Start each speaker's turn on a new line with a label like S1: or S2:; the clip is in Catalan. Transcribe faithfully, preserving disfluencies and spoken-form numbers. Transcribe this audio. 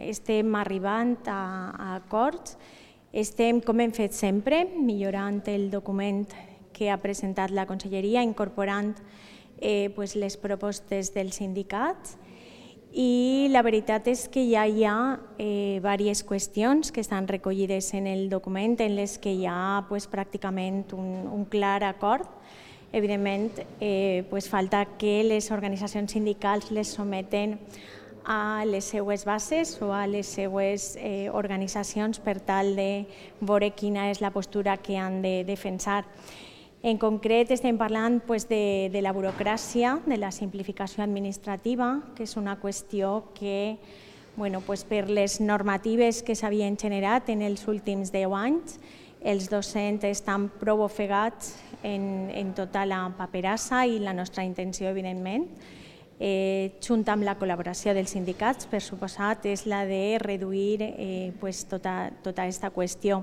S1: estem arribant a, a acords, estem, com hem fet sempre, millorant el document que ha presentat la Conselleria, incorporant eh, pues, les propostes dels sindicats, i la veritat és que ja hi ha eh, diverses qüestions que estan recollides en el document en les que hi ha pues, pràcticament un, un clar acord. Evidentment, eh, pues, falta que les organitzacions sindicals les someten a les seues bases o a les seues eh, organitzacions per tal de veure quina és la postura que han de defensar. En concret, estem parlant pues, de, de la burocràcia, de la simplificació administrativa, que és una qüestió que, bueno, pues, per les normatives que s'havien generat en els últims deu anys, els docents estan prou ofegats en, en tota la paperassa i la nostra intenció, evidentment, eh, junt amb la col·laboració dels sindicats, per suposat, és la de reduir eh, pues, tota, tota aquesta qüestió.